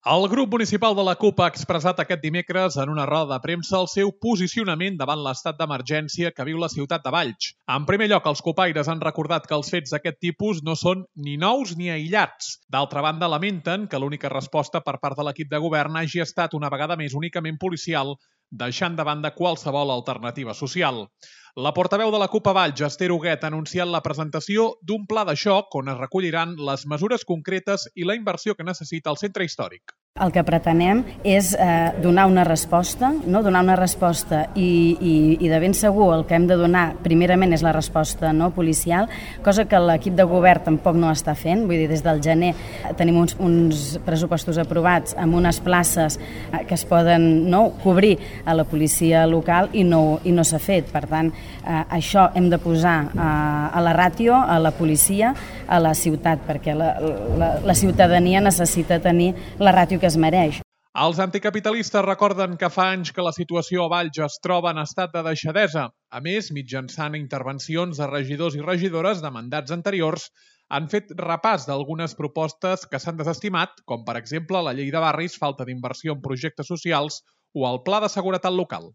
El grup municipal de la CUP ha expressat aquest dimecres en una roda de premsa el seu posicionament davant l'estat d'emergència que viu la ciutat de Valls. En primer lloc, els copaires han recordat que els fets d'aquest tipus no són ni nous ni aïllats. D'altra banda, lamenten que l'única resposta per part de l'equip de govern hagi estat una vegada més únicament policial, deixant de banda qualsevol alternativa social. La portaveu de la CUP a Valls, Esther Huguet, ha anunciat la presentació d'un pla de xoc on es recolliran les mesures concretes i la inversió que necessita el centre històric. El que pretenem és donar una resposta, i de ben segur el que hem de donar primerament és la resposta policial, cosa que l'equip de govern tampoc no està fent. Vull dir, des del gener tenim uns pressupostos aprovats amb unes places que es poden cobrir a la policia local i no s'ha fet. Per tant, això hem de posar a la ràtio, a la policia, a la ciutat, perquè la ciutadania necessita tenir la ràtio que es mereix. Els anticapitalistes recorden que fa anys que la situació a Valls es troba en estat de deixadesa. A més, mitjançant intervencions de regidors i regidores de mandats anteriors, han fet repàs d'algunes propostes que s'han desestimat, com per exemple la llei de barris, falta d'inversió en projectes socials o el pla de seguretat local.